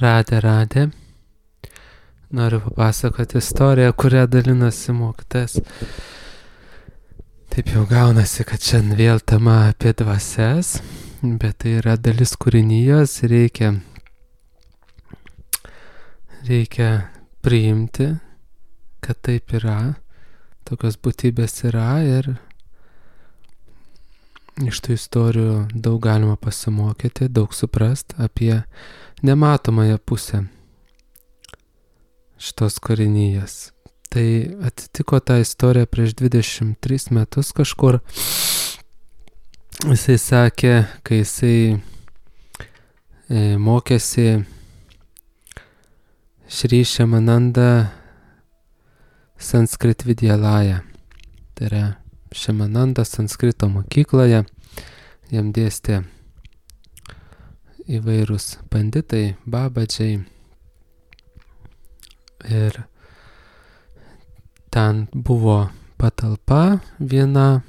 Radė. Noriu papasakoti istoriją, kurią dalinosi mokytojas. Taip jau gaunasi, kad šiandien vėl tema apie dvasias, bet tai yra dalis kūrinijos, reikia priimti, kad taip yra, tokios būtybės yra ir iš tų istorijų daug galima pasimokyti, daug suprast apie nematomąją pusę šitos kūrinijos. Tai atsitiko ta istorija prieš 23 metus kažkur. Jisai sakė, kai jisai mokėsi Šri Šamananda Sanskrit Vidyalaya. Tai yra Šamananda Sanskrito mokykloje. Jam dėstė įvairūs panditai, babadžiai. Ir ten buvo patalpa viena,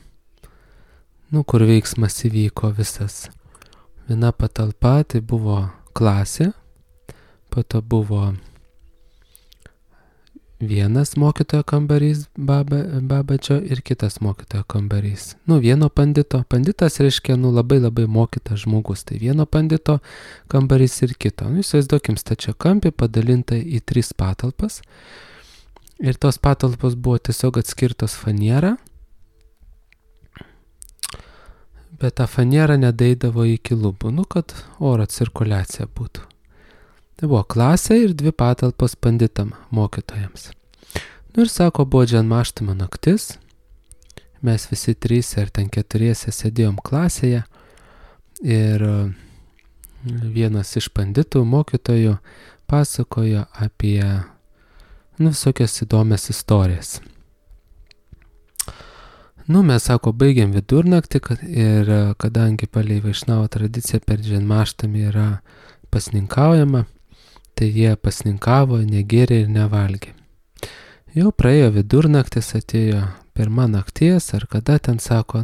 kur veiksmas įvyko visas. Viena patalpa, tai buvo klasė, po to buvo vienas mokytojo kambarys babadžio ir kitas mokytojo kambarys. Vieno pandito. Panditas reiškia, labai mokytas žmogus. Tai vieno pandito kambarys ir kito. Įsivaizduokim stačiakampį padalinta į 3 patalpas. Ir tos patalpos buvo tiesiog atskirtos faniera. Bet ta faniera nedaeidavo iki lubų, kad oro cirkuliacija būtų. Tai buvo klasė ir 2 patalpos panditam mokytojams. Ir sako, buvo džanmaštamo naktis. Mes visi 3 ar ten 4 sėdėjom klasėje. Ir vienas iš panditų mokytojų pasakojo apie visokias įdomias istorijas. Mes, sako, baigėm vidurnaktį ir kadangi palei Vaišnavo tradiciją per džanmaštamį yra pasninkaujama, tai jie pasninkavo, negėrė ir nevalgė. Jau praėjo vidurnaktis, atėjo 1 nakties, ar kada ten sako,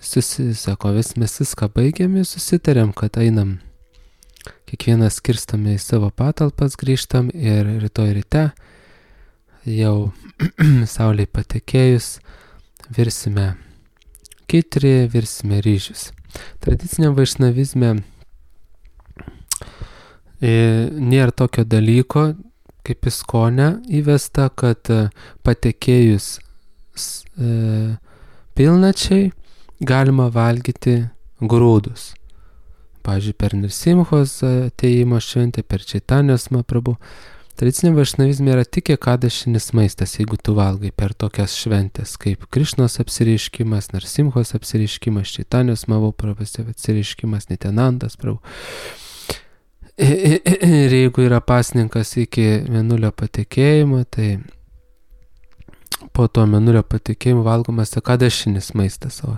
sako, mes viską baigėm ir susitarėm, kad einam, kiekvienas skirstame į savo patalpas, grįžtam ir rytoj ryte, jau saulei patekėjus, virsime kitrį, virsime ryžius. Tradiciniam vaišnavizme nėra tokio dalyko, kaip iskone įvesta, kad patekėjus pilnačiai galima valgyti grūdus. Pavyzdžiui, per Nirsimhos atėjimo šventę, per Čaitanijos Mahaprabhu. Tradiciniam vaišnavizme yra tik ekadašinis maistas, jeigu tu valgai per tokias šventės, kaip Krišnos apsireiškimas, Nirsimhos apsireiškimas, Čaitanijos Mahaprabhu apsireiškimas, Nityanandas Prabhu. Ir jeigu yra pasninkas iki mėnulio patekėjimo, tai po to mėnulio patekėjimo valgomas ekadašinis maistas, o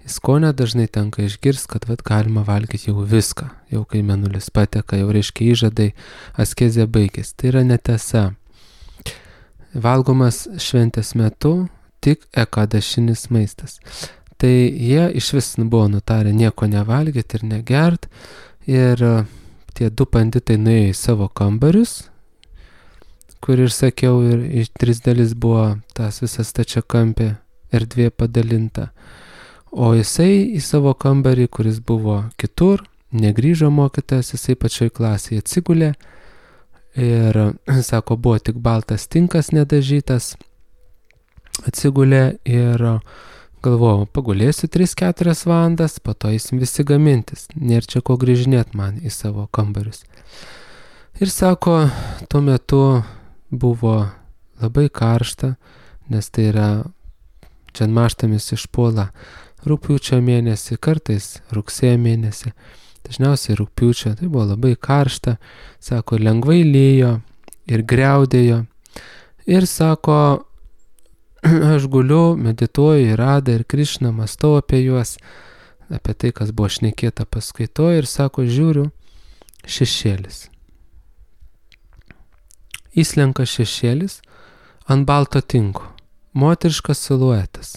iskone dažnai tenka išgirsti, kad galima valgyti jau viską, jau kai mėnulis pateka, jau reiškia įžadai, askezė baigės. Tai yra netiesa. Valgomas šventės metu tik ekadašinis maistas. Tai jie iš vis buvo nutarę nieko nevalgyti ir negert, ir tie 2 panditai nuėjo į savo kambarius, kur ir sakiau, ir iš 3 dalis buvo tas visas stačiakampė erdvė padalinta. O jisai į savo kambarį, kuris buvo kitur, negrįžo mokytojas, jisai pačioj klasėje atsigulė ir, sako, buvo tik baltas tinkas nedažytas, atsigulė ir galvojau, pagulėsiu 3-4 valandas, po to eisim visi gamintis, nėra čia ko grįžinėt man į savo kambarius. Ir sako, tuo metu buvo labai karšta, nes tai yra džanmaštamis išpuola rugpjūčio mėnesį, kartais rugsėjo mėnesį, dažniausiai rugpjūčio, tai buvo labai karšta, sako, lengvai lijo ir griaudėjo. Ir sako, aš guliu, medituoju į Radą ir Krišną, mąstau apie juos, apie tai, kas buvo šnekėta paskaitoje, ir sako, žiūriu, šešėlis. Įslenka šešėlis ant balto tinko, moteriškas siluetas.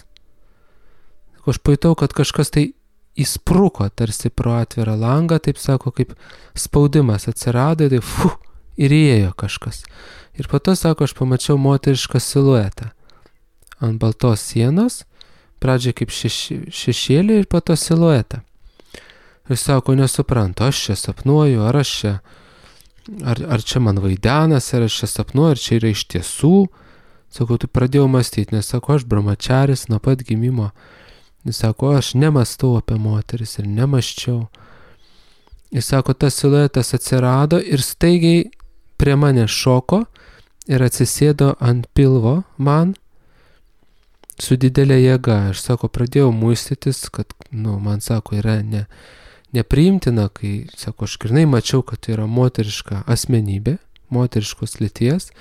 Aš pajutau, kad kažkas tai įspruko tarsi pro atvirą langą, taip sako, kaip spaudimas atsirado, tai ir įėjo kažkas. Ir po to, sako, aš pamačiau moterišką siluetą ant baltos sienos, pradžiai kaip šešėlį ir po to siluetą. Ir sako, nesuprantu, aš čia sapnuoju, ar čia man vaidenas, ar aš čia sapnuoju, ar čia yra iš tiesų. Sako, tu pradėjau mąstyti, nes sako, aš brahmačaris nuo pat gimimo. Jis sako, aš nemastau apie moteris ir nemaščiau. Jis sako, tas siluetas atsirado ir staigiai prie mane šoko ir atsisėdo ant pilvo man su didelė jėga. Aš sako, pradėjau muistytis, kad, man sako, yra nepriimtina, kai, sako, aš grynai mačiau, kad tai yra moteriška asmenybė, moteriškos lyties,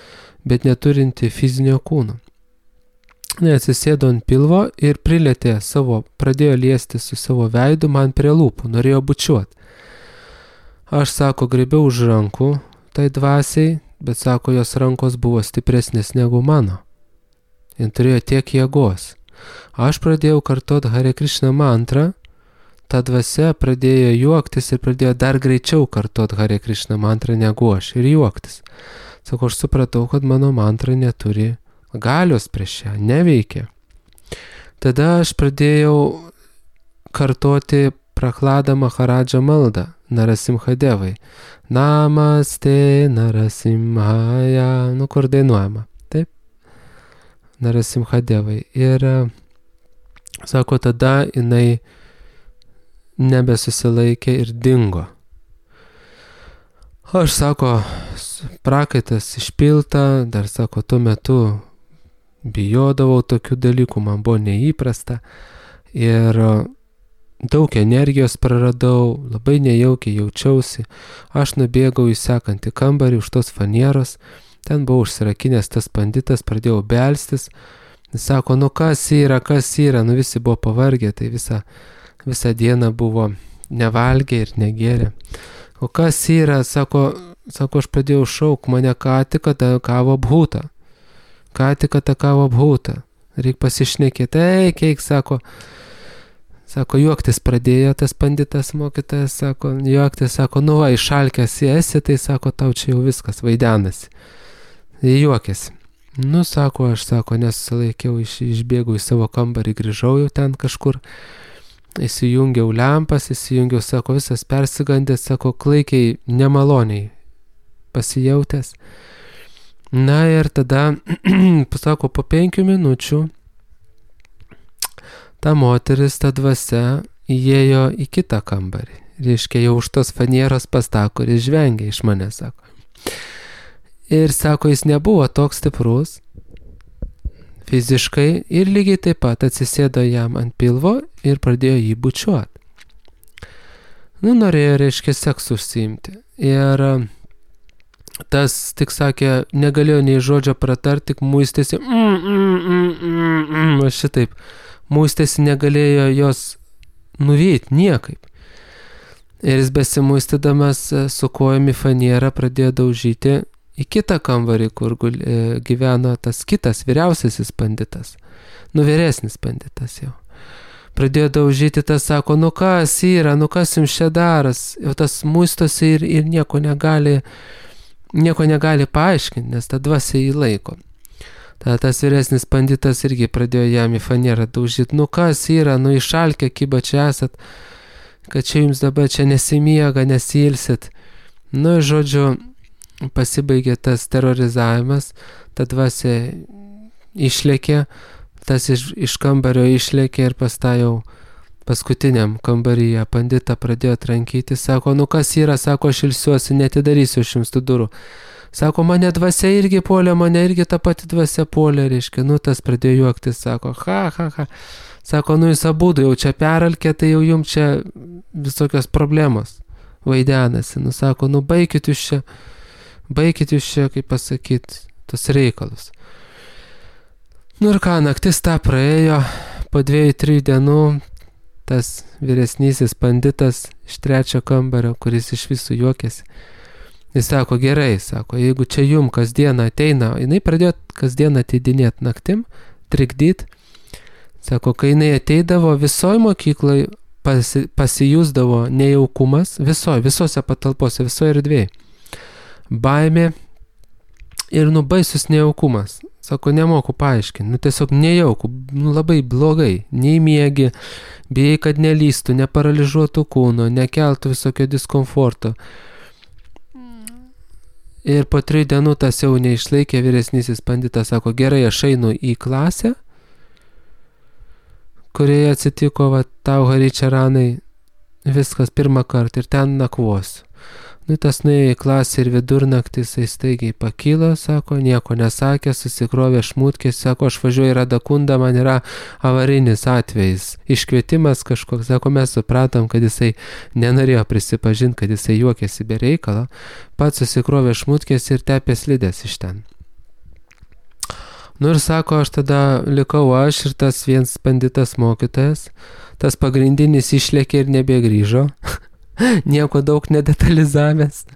bet neturinti fizinio kūno. Atsisėdo ant pilvo ir prilėtė pradėjo liesti su savo veidu man prie lūpų, norėjo bučiuoti. Aš, sako, griebiau už rankų tai dvasiai, bet, sako, jos rankos buvo stipresnės negu mano. Jis turėjo tiek jėgos. Aš pradėjau kartoti Hare Krishna mantrą, ta dvasia pradėjo juoktis ir pradėjo dar greičiau kartoti Hare Krishna mantrą negu aš ir juoktis. Sako, aš supratau, kad mano mantra neturi galios prieš ją, neveikia. Tada aš pradėjau kartoti Prahlada Maharadža maldą Narasimhadevai. Namaste Narasimhaya, kur dainuojama, taip? Narasimhadevai. Ir, sako, tada jinai nebesusilaikė ir dingo. Aš, sako, prakaitas išpilta, dar, sako, tuo metu bijodavau tokių dalykų, man buvo neįprasta ir daug energijos praradau, labai nejaukiai jaučiausi. Aš nubėgau į sekantį kambarį už tos fanieros, ten buvo užsirakinęs tas banditas, pradėjau belstis. Jis sako, kas yra, visi buvo pavargę, tai visą dieną buvo nevalgę ir negėrę. O kas yra, sako, aš pradėjau šauk, mane ką tik atakavo bhūta. Reik pasišnekėti, eik, sako, juoktis pradėjo tas banditas mokytojas, sako, juoktis, sako, išalkęs esi, tai, sako, tau čia jau viskas, vaidenasi. Juokėsi. Sako, aš, sako, nesusilaikiau, išbėgau į savo kambarį, grįžau jau ten kažkur, įsijungiau lempas, sako, visas persigandęs, sako, klaikiai, nemaloniai pasijautęs. Ir tada, sako, po 5 minučių ta moteris, ta dvasia įėjo į kitą kambarį. Reiškia, jau už tos fanieros pas tą, kuris žvengia iš manęs, sako. Ir, sako, jis nebuvo toks stiprus fiziškai ir lygiai taip pat atsisėdo jam ant pilvo ir pradėjo jį bučiuoti. Norėjo, reiškia, seksu užsiimti. Ir tas, tik sakė, negalėjo nei žodžio pratarti, tik muistėsi, šitaip, muistėsi, negalėjo jos nuvyti niekaip. Ir jis besimuistydamas su kojami fanierą pradėjo daužyti į kitą kambarį, kur gyveno tas kitas vyriausiasis banditas, vyresnis banditas jau. Pradėjo daužyti, tas sako, kas yra, kas jums čia daras, jau tas muistosi ir nieko negali paaiškinti, nes ta dvasia jį laiko. Tada tas vyresnis banditas irgi pradėjo jam į fanierą daužyti, kas yra, išalkę kyba čia esat, kad čia jums dabar čia nesimiega, nesilsit. Žodžiu, pasibaigė tas terrorizavimas, ta dvasia išlėkė, tas iš kambario išlėkė ir pastajau paskutiniam kambaryje banditą pradėjo trankyti, sako, kas yra, sako, aš ilsiuosi, netidarysiu aš jums tų durų. Sako, mane dvasia irgi puolė, mane irgi ta pati dvasia puolė, reiškia, tas pradėjo juoktis, sako, ha. Sako, jūs abudu jau čia peralkė, tai jau jums čia visokios problemos vaidenasi. Sako, baikit jūs čia, kaip pasakyti, tos reikalus. Ir ką, naktis tą praėjo, po 2-3 dienų tas vyresnysis banditas iš 3 kambario, kuris iš visų juokėsi. Jis sako, gerai, sako, jeigu čia jum kasdieną ateina, jinai pradėjo kasdieną ateidinėti naktim, trikdyt. Sako, kai jinai ateidavo, visoje mokykloje pasijusdavo nejaukumas visose patalpose, visoje erdvėje. Baimė ir baisus nejaukumas. Sako, nemoku paaiškinti, tiesiog nejauku, labai blogai, nei miegi, bijai, kad nelystų, neparalyžuotų kūno, nekeltų visokio diskomforto. Ir po 3 dienų tas jau neišlaikė, vyresnysis banditas sako, gerai, aš einu į klasę, kurioje atsitiko tau Haričaranai, viskas pirmą kartą ir ten nakvosiu. Tas nuėjo į klasę ir vidurnaktį, jisai staigiai pakilo, sako, nieko nesakė, susikrovė šmutkės, sako, aš važiuoju į Radakundą, man yra avarinis atvejis, iškvietimas kažkoks, sako, mes supratom, kad jisai nenorėjo prisipažinti, kad jisai juokėsi be reikalo, pats susikrovė šmutkės ir tepė slides iš ten. Ir sako, aš tada likau aš ir tas vienas banditas mokytojas, tas pagrindinis išlėkė ir nebegrįžo. Nieko daug nedetalizavęs.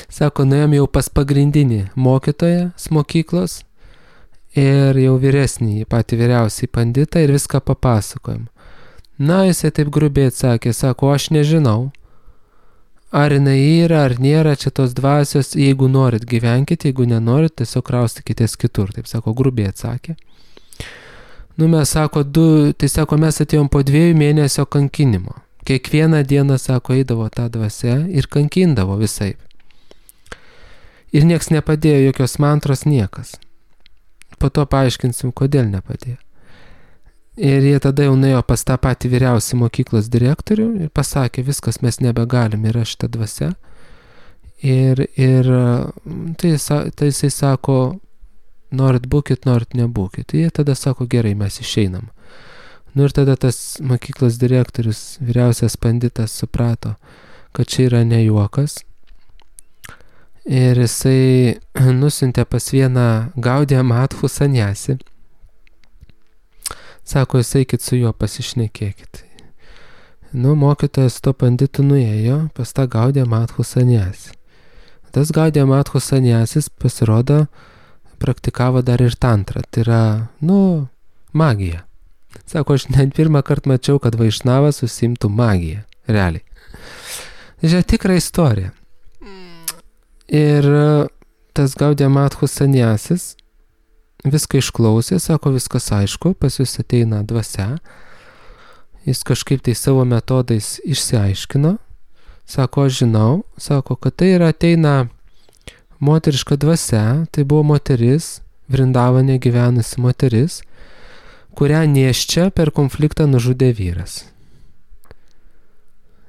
Sako, nuėjom jau pas pagrindinį mokytoją mokyklos ir jau vyresnį, patį vyriausiai banditą ir viską papasakojom. Jisai taip grubiai atsakė, sako, aš nežinau, ar jinai yra, ar nėra čia tos dvasios, jeigu norit gyvenkite, jeigu nenorit, tiesiog kraustykitės kitur, taip sako, grubiai atsakė. Mes sako, mes atėjom po 2 mėnesio kankinimo. Kiekvieną dieną, sako, eidavo tą dvasią ir kankindavo visaip. Ir nieks nepadėjo, jokios mantros, niekas. Po to paaiškinsim, kodėl nepadėjo. Ir jie tada jau nuėjo pas tą patį vyriausią mokyklos direktorių ir pasakė, viskas, mes nebegalim, yra šita dvasia. Ir tai jisai sako, norit būkit, norit nebūkit. Jie tada sako, gerai, mes išeinam. Ir tada tas mokyklos direktorius, vyriausias banditas suprato, kad čia yra ne juokas. Ir jisai nusiuntė pas vieną Gaudiją Madhų saniasį. Sako, jūs eikit su juo pasišnekėkit. Mokytojas to banditų nuėjo pas tą Gaudiją Madhų saniasį. Tas Gaudiją Madhų saniasis pasirodo praktikavo dar ir tantrą. Tai yra, magija. Sako, aš net pirmą kartą mačiau, kad vaišnavas užsiimtų magiją. Realiai. Žiūrėk, tikra istorija. Ir tas Gaudiją Madhų saniasis viską išklausė, sako, viskas aišku, pas jūs ateina dvasia. Jis kažkaip tai savo metodais išsiaiškino. Sako, aš žinau, sako, kad tai ateina moteriška dvasia, tai buvo moteris, Vrindavane gyvenusi moteris, kurią nėščia per konfliktą nužudė vyras.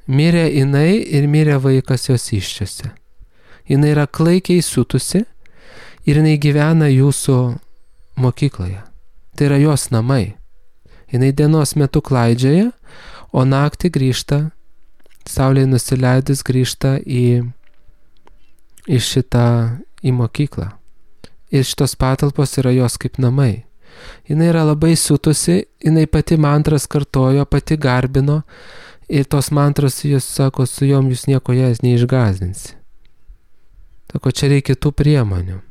Mirė jinai ir mirė vaikas jos iščiose. Jinai yra klaikiai siutusi ir jinai gyvena jūsų mokykloje. Tai yra jos namai. Jinai dienos metu klaidžioja, o naktį grįžta, saulei nusileidus grįžta į mokyklą. Ir šitos patalpos yra jos kaip namai. Jinai yra labai siutusi, jinai pati mantras kartojo, pati garbino ir tos mantros, jūs sako, su jom jūs nieko jas neišgąsdinsi. Sako, čia reikia tų priemonių.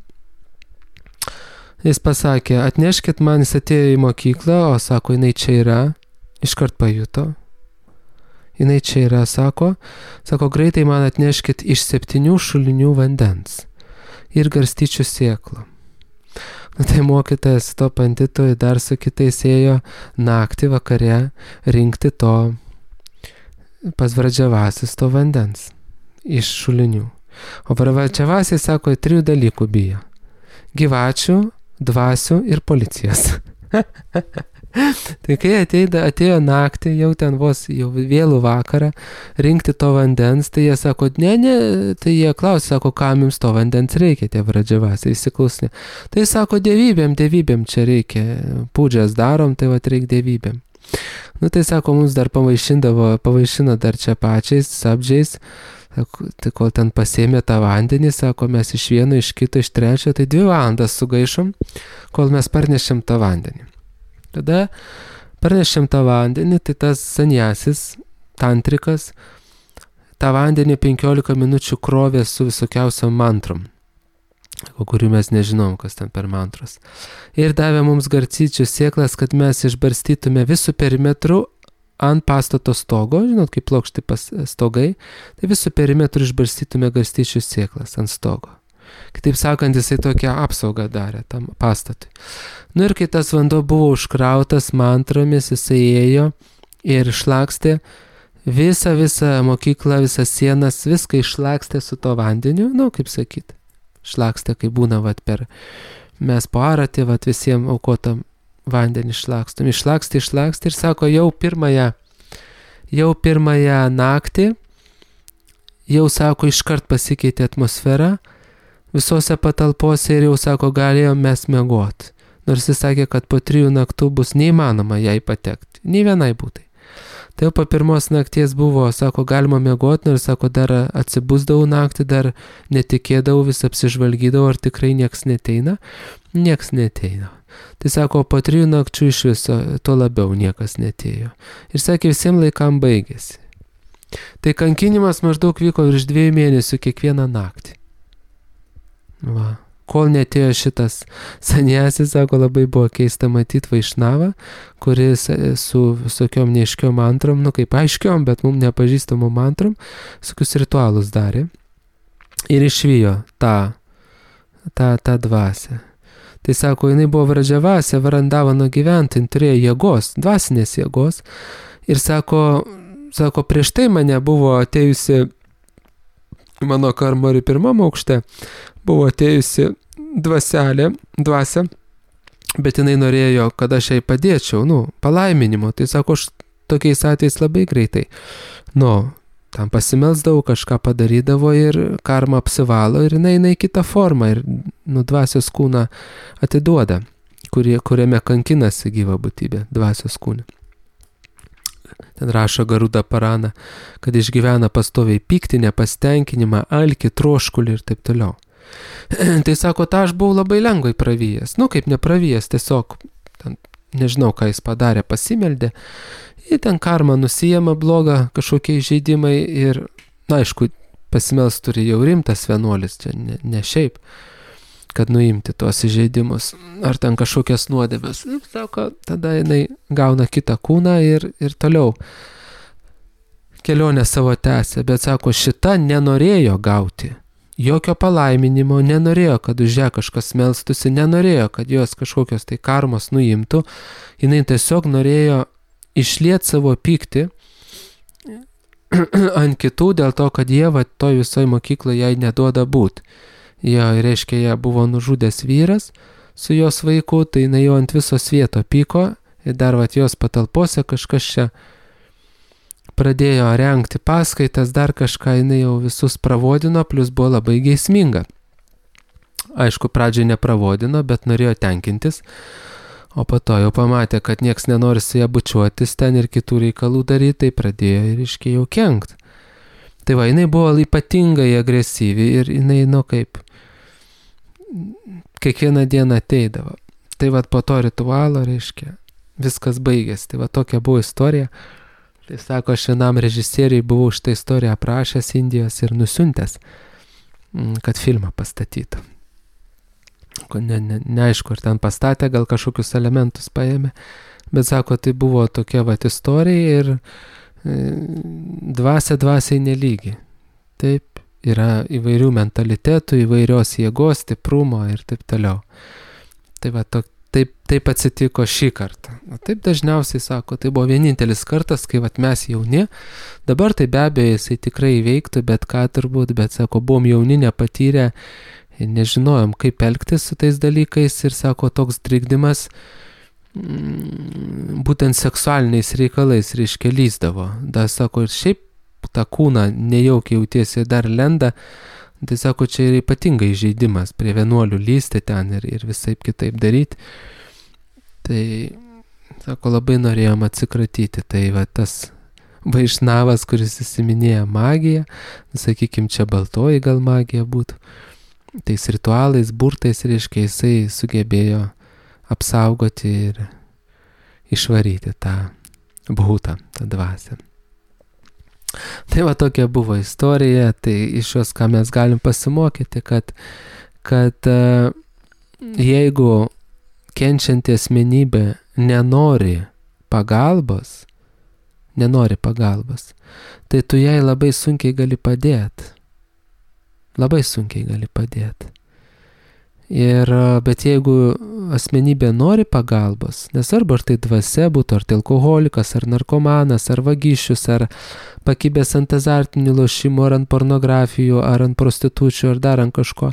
Jis pasakė, atneškit man, jis atėjo į mokyklą, o sako, jinai čia yra, iškart pajuto. Jinai čia yra, sako, greitai man atneškit iš 7 šulinių vandens ir garstyčių sėklų. Tai mokytojas to banditui dar su kitais ėjo naktį vakare rinkti to pas Vradžavasis to vandens iš šulinių. O Vradžavasis, sako, 3 dalykų bijo. Gyvačių, dvasių ir policijos. Tai kai atėjo naktį, jau ten vos jau vėlų vakarą, rinkti to vandens, tai jie sako, ne, tai jie klausė, sako, kam jums to vandens reikia, tie Vradžavasiai, įsiklausė. Tai sako, dievybėm čia reikia, pūdžias darom, tai reikia dievybėm. Tai sako, mums dar pavaišino dar čia pačiais, sabdžiais, tai kol ten pasėmė tą vandenį, sako, mes iš vieno, iš kito, iš trečio, tai 2 valandas sugaišom, kol mes parnešėm tą vandenį. Tada parnešėm tą vandenį, tai tas saniasis, tantrikas, tą vandenį 15 minučių krovė su visokiausiom mantrom, kurių mes nežinom, kas ten per mantros. Ir davė mums garstyčių sėklas, kad mes išbarstytume visų perimetrų ant pastato stogo, žinot, kaip plokšti stogai, tai visų perimetrų išbarstytume garstyčių sėklas ant stogo. Kitaip sakant, jisai tokią apsaugą darė tam pastatui. Nu ir kai tas vanduo buvo užkrautas mantromis, jisai ėjo ir išlakstė visą mokyklą, visas sienas, viską išlakstė su to vandeniu, nu, kaip sakyt, išlakstė, kai būna, mes po aratį, visiems aukotam vandenį išlakstom. Išlakstė ir sako, jau pirmąją naktį, jau sako, iškart pasikeitė atmosfera visose patalpose ir jau sako, galėjom mes miegot. Nors jis sakė, kad po 3 naktų bus neįmanoma jai patekti, nei vienai būtai. Tai jau po pirmos nakties buvo, sako, galima miegot, nors sako, dar atsibusdavau naktį, dar netikėdavau, vis apsižvalgydavau, ar tikrai nieks neteina. Nieks neteina. Tai sako, po 3 nakčių iš viso, to labiau niekas netėjo. Ir sakė, visiems laikam baigėsi. Tai kankinimas maždaug vyko virš 2 mėnesių kiekvieną naktį. Va. Kol netėjo šitas sanjasis, sako, labai buvo keista matyti Vaišnavą, kuris su visokiom neaiškiom mantrom, nu kaip aiškiom, bet mums nepažįstamom mantrom, visokius ritualus darė ir išvijo tą dvasią. Tai sako, jinai buvo Vražavasė, Varandavano gyventojai, turėjo jėgos, dvasinės jėgos ir sako, prieš tai mane buvo atėjusi mano karmori 1 aukšte, buvo atėjusi dvasia, bet jinai norėjo, kad aš jai padėčiau, palaiminimo. Tai sako, aš tokiais atvejais labai greitai, tam pasimelsdavau, kažką padarydavo ir karma apsivalo ir jinai kitą formą ir, dvasios kūną atiduoda, kuriame kankinasi gyva būtybė, dvasios kūne. Ten rašo Garuda Parana, kad išgyvena pastoviai pyktį, nepasitenkinimą, alkį, troškulį ir taip toliau. Tai sako, aš buvau labai lengvai pravyjęs. Kaip nepravyjęs, tiesiog, nežinau, ką jis padarė, pasimeldė. Ir ten karma nusijama blogą, kažkokie įžeidimai ir, aišku, pasimels turi jau rimtas vienuolis, čia ne šiaip, kad nuimti tuos įžeidimus, ar ten kažkokias nuodėmes. Ir sako, tada jinai gauna kitą kūną ir toliau kelionę savo tęsė, bet sako, šita nenorėjo gauti jokio palaiminimo, nenorėjo, kad už ją kažkas melstųsi, nenorėjo, kad jos kažkokios tai karmos nuimtų, jinai tiesiog norėjo išliet savo pyktį ant kitų dėl to, kad jie toj visoj mokykloje jai neduoda būt. Jo, reiškia, ją buvo nužudęs vyras su jos vaiku, tai jinai jau ant viso svieto pyko ir dar jos patalpose kažkas čia pradėjo rengti paskaitas, dar kažką jinai jau visus pravodino, plus buvo labai geisminga. Aišku, pradžiai nepravodino, bet norėjo tenkintis, o po to jau pamatė, kad nieks nenori su ją bučiuotis ten ir kitų reikalų daryti, tai pradėjo ir iškiai jau kenkt. Tai jinai buvo ypatingai agresyvi ir jinai, kaip kiekvieną dieną ateidavo. Tai po to ritualo, reiškia, viskas baigėsi. Tai tokia buvo istorija. Tai sako, aš vienam režisieriui buvau šitą istoriją aprašęs Indijos ir nusiuntęs, kad filmą pastatytų. Neaišku, ar ten pastatė, gal kažkokius elementus paėmė, bet sako, tai buvo tokia istorija ir dvasiai nelygi. Taip, yra įvairių mentalitetų, įvairios jėgos, stiprumo ir taip toliau. Tai taip atsitiko šį kartą. Taip dažniausiai sako, tai buvo vienintelis kartas, kai mes jauni, dabar tai be abejo jisai tikrai įveiktų, bet ką turbūt, bet sako, buvom jauni, nepatyrę, nežinojom, kaip elgtis su tais dalykais ir sako, toks trikdymas būtent seksualiniais reikalais, reiškia, lysdavo. Da, sako, ir šiaip tą kūną nejaukiai jautiesi dar lenda, tai sako, čia yra ypatingai žaidimas prie vienuolių lysti ten ir visaip kitaip daryti. Tai, sako, labai norėjom atsikratyti. Tai tas Vaišnavas, kuris įsiminėja magiją, sakykim, čia baltoji gal magija būtų, tais ritualais, burtais, reiškia, jisai sugebėjo apsaugoti ir išvaryti tą bhutą, tą dvasią. Tai tokia buvo istorija, tai iš jos, ką mes galim pasimokyti, kad jeigu kenčianti asmenybė nenori pagalbos, nenori pagalbos, tai tu jai labai sunkiai gali padėti. Labai sunkiai gali padėti. Bet jeigu asmenybė nori pagalbos, nesvarbu ar tai dvasia būtų, ar tai alkoholikas, ar narkomanas, ar vagišius, ar pakibęs ant azartinių lošimų, ar ant pornografijų, ar ant prostitučių, ar dar ant kažko.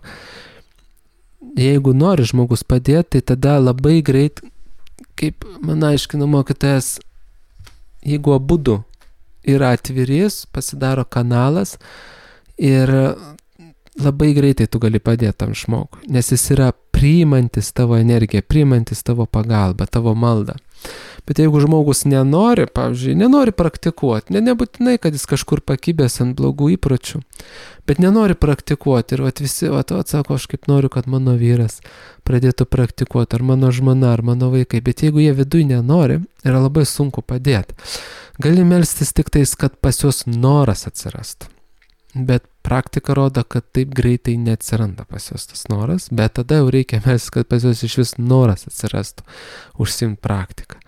Jeigu nori žmogus padėti, tai tada labai greit, kaip man aiškina mokytojas, jeigu abudu yra atvirys, pasidaro kanalas ir labai greitai tu gali padėti tam žmogui, nes jis yra priimantis tavo energiją, priimantis tavo pagalbą, tavo maldą. Bet jeigu žmogus nenori, pavyzdžiui, nenori praktikuoti, nebūtinai, kad jis kažkur pakibęs ant blogų įpročių, bet nenori praktikuoti ir visi, sako, aš kaip noriu, kad mano vyras pradėtų praktikuoti, ar mano žmona, ar mano vaikai, bet jeigu jie viduj nenori, yra labai sunku padėti. Gali melstis tik tais, kad pas juos noras atsirastų. Bet praktika rodo, kad taip greitai neatsiranda pas juos tas noras, bet tada jau reikia melstis, kad pas juos iš vis noras atsirastų užsiimti praktiką.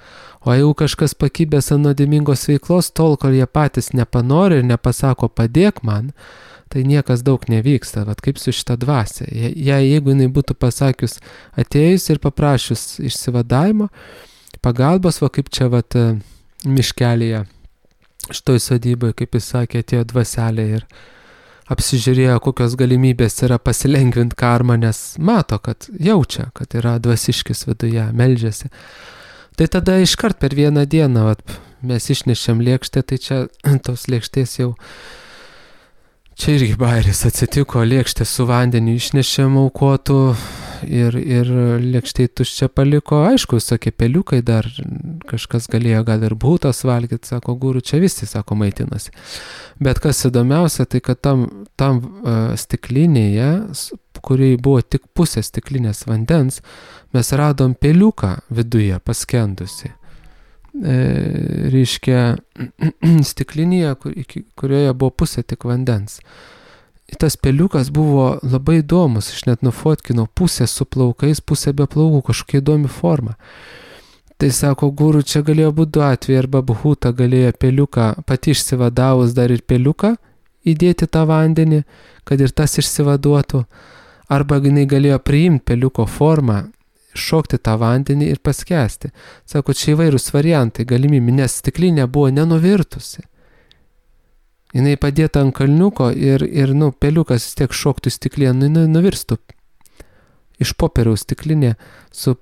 O jeigu kažkas pakibęs ant nuodėmingos veiklos, tol, kol jie patys nepanori ir nepasako padėk man, tai niekas daug nevyksta, vat kaip su šita dvasia. Jeigu jinai būtų pasakius atėjus ir paprašius išsivadavimo, pagalbos, va kaip čia vat miškelėje, šitoj sodyboje, kaip jis sakė, atėjo dvaselė ir apsižiūrėjo, kokios galimybės yra pasilengvinti karmą, nes mato, kad jaučia, kad yra dvasiškis viduje, meldžiasi. Tai tada iškart per vieną dieną mes išnešėm lėkštę, tai čia tos lėkštės jau, čia irgi bairis atsitiko, lėkštę su vandeniu išnešėm aukotų ir lėkštėj tuščia paliko, aišku, visokie peliukai dar, kažkas galėjo gal ir būtas valgyti, sako, guru, čia visi, sako, maitinasi. Bet kas įdomiausia, tai kad tam stiklinėje, kuriai buvo tik pusė stiklinės vandens, mes radom peliuką viduje paskendusi. Reiškia, stiklinėje, kurioje buvo pusė tik vandens. Tas peliukas buvo labai įdomus, aš net nufotkinau, pusė su plaukais, pusė be plaukų, kažkokia įdomi forma. Tai sako, guru, čia galėjo būti du atvejai, arba Bhuta galėjo peliuką, pati išsivadavus dar ir peliuką įdėti tą vandenį, kad ir tas išsivaduotų, arba jinai galėjo priimti peliuko formą, šokti tą vandenį ir paskęsti. Sako, čia įvairūs variantai, galimybė, nes stiklinė buvo nenuvirtusi. Jinai padėta ant kalniuko ir peliukas vis tiek šoktų stiklinę, nuvirstų iš popieriaus stiklinė su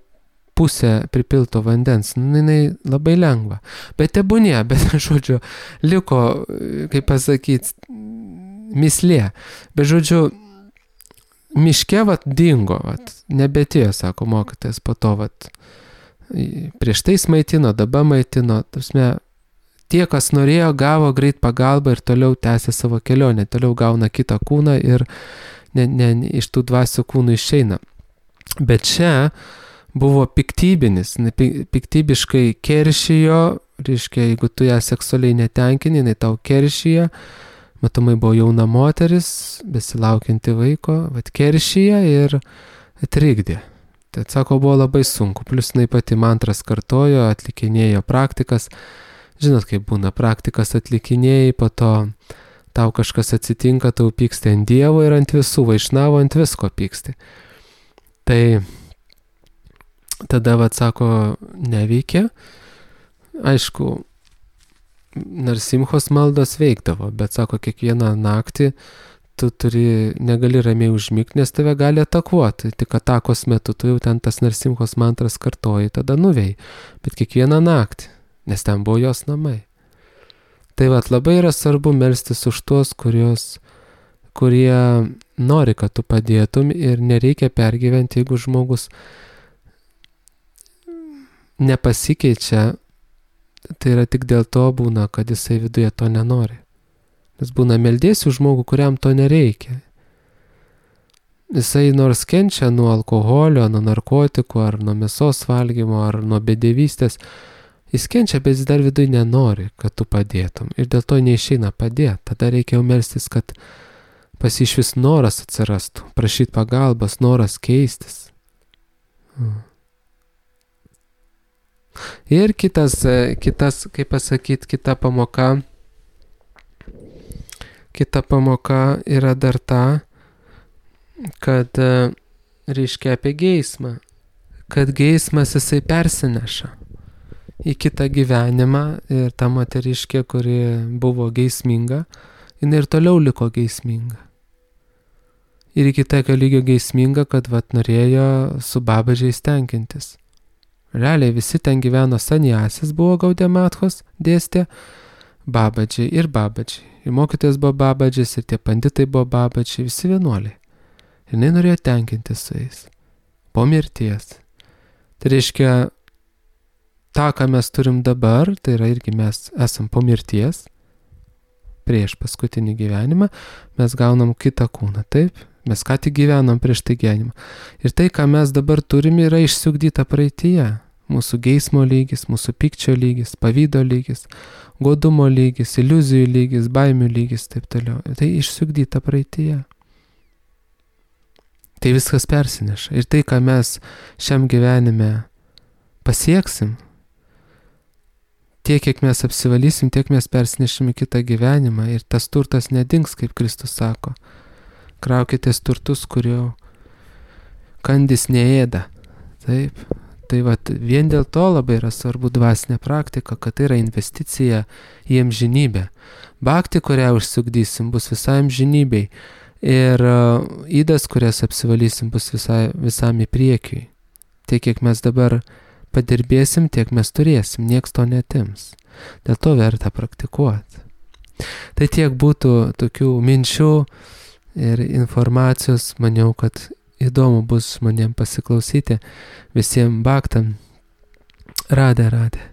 pusė pripilto vandens. Jinai labai lengva. Bet tebūnė, bet žodžiu, liko, kaip pasakyti, mislė. Bet žodžiu, miške dingo, nebetėjo, sako mokytojas, po to prieš tai maitino, dabar maitino, tie, kas norėjo, gavo greit pagalbą ir toliau tęsė savo kelionę, toliau gauna kitą kūną ir iš tų dvasių kūnų išeina. Bet čia buvo piktybinis, piktybiškai keršijo, reiškia, jeigu tu ją seksualiai netenkini, jinai tau keršyje, matomai buvo jauna moteris, besilaukianti vaiko, keršyje ir trikdė. Tai sako, buvo labai sunku, plus jinai pati mantras kartojo, atlikinėjo praktikas. Žinot, kaip būna, praktikas atlikinėjai, po to tau kažkas atsitinka, tau pyksti ant Dievo ir ant visų, vaišnavo ant visko pyksti. Tai tada, sako, neveikia. Aišku, Narsimhos maldos veikdavo, bet, sako, kiekvieną naktį tu negali ramiai užmigti, nes tave gali atakuoti. Tik atakos metu tu jau ten tas Narsimhos mantras kartoji, tada nuvei. Bet kiekvieną naktį. Nes ten buvo jos namai. Tai labai yra svarbu melstis už tuos, kurie nori, kad tu padėtum ir nereikia pergyventi, jeigu žmogus nepasikeičia, tai yra tik dėl to būna, kad jisai viduje to nenori. Nes būna meldėsiu žmogų, kuriam to nereikia. Jisai nors kenčia nuo alkoholio, nuo narkotikų, ar nuo mėsos valgymo, ar nuo bedevystės, jis kenčia, bet jis dar viduje nenori, kad tu padėtum. Ir dėl to neišeina padėti. Tada reikia jau melstis, kad pas jį iš vis noras atsirastų. Prašyti pagalbos, noras keistis. Ir kitas, kaip pasakyti, kita pamoka yra dar ta, kad reiškia apie geismą, kad geismas jisai persineša į kitą gyvenimą ir ta moteriškė, kuri buvo geisminga, jinai ir toliau liko geisminga. Ir iki tokio lygio geisminga, kad norėjo su babadžiais tenkintis. Realiai visi ten gyveno sanjasis, buvo Gaudemathos, dėstė babadžiai. Ir mokytojas buvo babadžis, ir tie panditai buvo babadžiai, visi vienuoliai. Ir jinai norėjo tenkintis su jais. Po mirties. Tai reiškia, tą, ką mes turim dabar, tai yra irgi mes esam po mirties, prieš paskutinį gyvenimą, mes gaunam kitą kūną, taip? Mes ką tik gyvenom prieš tai gyvenimą. Ir tai, ką mes dabar turime, yra išsiugdyta praeityje. Mūsų geismo lygis, mūsų pykčio lygis, pavydo lygis, godumo lygis, iliuzijų lygis, baimių lygis, taip toliau. Tai išsiugdyta praeityje. Tai viskas persineša. Ir tai, ką mes šiam gyvenime pasieksim, tiek, kiek mes apsivalysim, tiek mes persinešim į kitą gyvenimą. Ir tas turtas nedings, kaip Kristus sako. Kraukitės turtus, kurio kandis neėda. Taip. Tai vien dėl to labai yra svarbu dvasinė praktika, kad tai yra investicija į amžinybę. Bhakti, kurią užsiugdysim, bus visai amžinybei. Ir ydas, kurias apsivalysim, bus visam į priekį. Tiek, kiek mes dabar padirbėsim, tiek mes turėsim, nieks to netims. Dėl to verta praktikuoti. Tai tiek būtų tokių minčių ir informacijos, maniau, kad įdomu bus žmonėm pasiklausyti, visiems bhaktam. Radhe.